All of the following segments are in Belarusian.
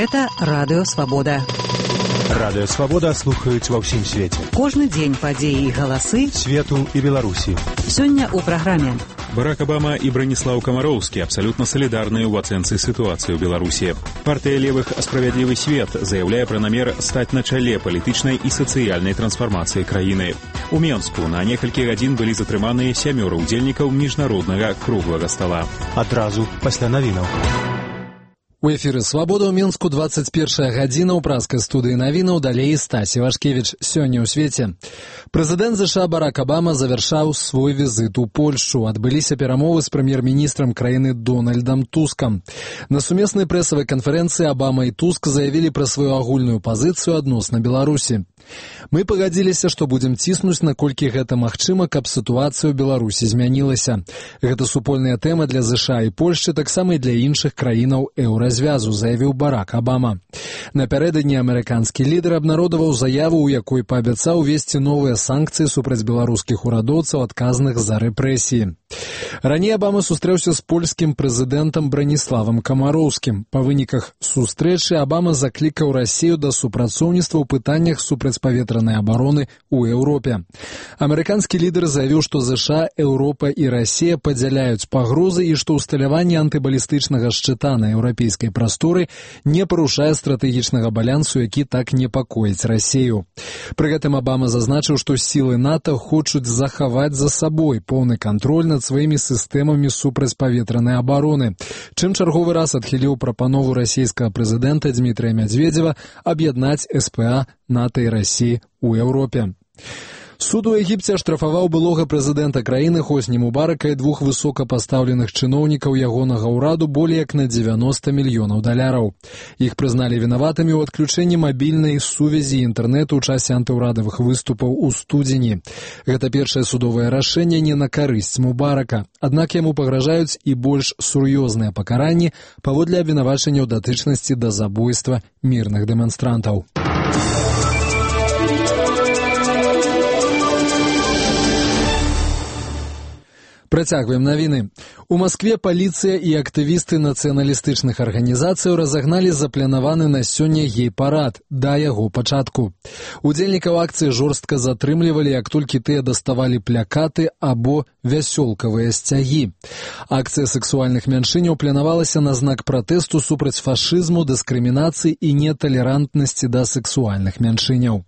Гэта Радыё Свабода. Радыё Свабода слухаюць ва ўсім свеце. Кожны дзень падзеі і галасы свету і Беларусі. Сёння ў праграме. Барак Обама і Браніслаў Камароўскі абсалютна салідарныя ў ацэнцы сітуацыі ў Беларусі. Партыя левых «Справядлівы свет» заяўляе пра намер стаць на чале палітычнай і сацыяльнай трансфармацыі краіны. У Менску на некалькі гадзін былі затрыманыя 7 удзельнікаў міжнароднага круглага стала. Адразу пасля навінаў. У эфіры «Свабода» ў Менску 21 гадзіна ў праскай студыі навінаў, далей Стасі Вашкевіч. Сёння ў свеце. Прэзідэнт США Барак Обама завяршаў свой візіт у Польшчу. Адбыліся перамовы з прэм'ер-міністрам краіны Дональдам Тускам. На сумеснай прэсавай канферэнцыі Обама і Туск заявілі пра сваю агульную пазіцыю адносна Беларусі. Мы пагадзіліся, што будзем ціснуць, наколькі гэта магчыма, каб сітуацыя ў Беларусі змянілася. Гэта супольная тэма для США і Польшчы, таксама і для іншых краінаў еўразвязу, заявіў Барак Обама. Напярэдадні амерыканскі лідар абнародаваў заяву, у якой паабяцаў увесці новыя санкцыі супраць беларускіх урадоўцаў, адказных за рэпрэсіі. Раней Обама сустрэўся з польскім прэзідэнтам Браніславам Камароўскім. Па выніках сустрэчы Обама заклікаў Расію да супрацоўніцтва ў пытаннях супрацьпаветранай абароны ў Еўропе. Амерыканскі лідар заявіў, што США, Еўропа і Расія падзяляюць пагрозы і што ўсталяванне антыбалістычнага шчыта на еўрапейскай прасторы не парушае стратэгічнага балансу, які так непакоіць Расію. Пры гэтым Обама зазначыў, што сілы НАТО хочуць захаваць за сабой поўны кантроль над сваімі сістэмамі супрацьпаветранай абароны, чым чарговы раз адхіліў прапанову расійскага прэзідэнта Дмітрыя Мядзведзева аб'яднаць СПА, НАТО і Расіі ў Еўропе. Суд у Егіпце аштрафаваў былога прэзідэнта краіны Хосні Мубарака і двух высокапастаўленых чыноўнікаў ягонага ўраду болей як на $90 мільёнаў. Іх прызналі вінаватымі ў адключэнні мабільнай сувязі і інтэрнэту ў часе антыўрадавых выступаў у студзені. Гэта першае судовае рашэнне не на карысць Мубарака. Аднак яму пагражаюць і больш сур'ёзныя пакаранні паводле абвінавачання ў датычнасці да забойства мірных дэманстрантаў. Працягваем навіны. У Маскве паліцыя і актывісты нацыяналістычных арганізацыяў разагналі запланаваны на сёння гей-парад да яго пачатку. Удзельнікаў акцыі жорстка затрымлівалі, як толькі тыя даставалі плякаты або вясёлкавыя сцягі. Акцыя сексуальных мяншыняў планавалася на знак пратэсту супраць фашызму, дыскрымінацыі і неталерантнасці да сексуальных мяншыняў.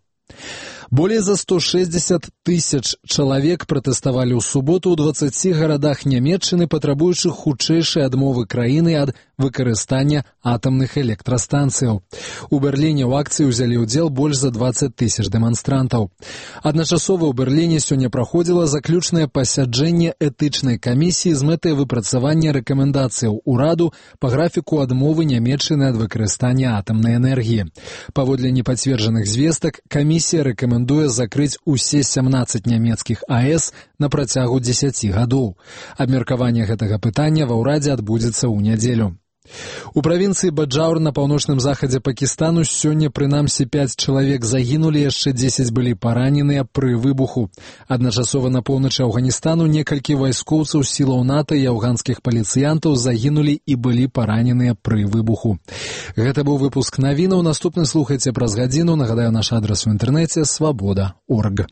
Болей за 160 тысяч чалавек пратэставалі ў суботу ў 20 гарадах Нямецчыны, патрабуючы хутчэйшай адмовы краіны ад выкарыстання атамных электрастанцыяў. У Берліне ў акцыі ўзялі ўдзел больш за 20 тысяч дэманстрантаў. Адначасова ў Берліне сёння праходзіла заключнае пасяджэнне этычнай камісіі з мэтай выпрацавання рэкамендацыяў ураду па графіку адмовы Нямецчыны ад выкарыстання атамнай энергіі. Паводле непацверджаных звестак, камісія рэкамендуе закрыць усе 17 нямецкіх АЭС на працягу 10 гадоў. Абмеркаванне гэтага пытання ва ўрадзе адбудзецца ў нядзелю. У правінцыі Баджаур на паўночным захадзе Пакістану сёння прынамсі 5 чалавек загінулі, яшчэ 10 былі параненыя пры выбуху. Адначасова на поўначы Афганістану некалькі вайскоўцаў сілаў НАТО і афганскіх паліцыянтаў загінулі і былі параненыя пры выбуху. Гэта быў выпуск навінаў. Наступны слухайце праз гадзіну. Нагадаю, наш адрас у інтэрнэце свабода.орг.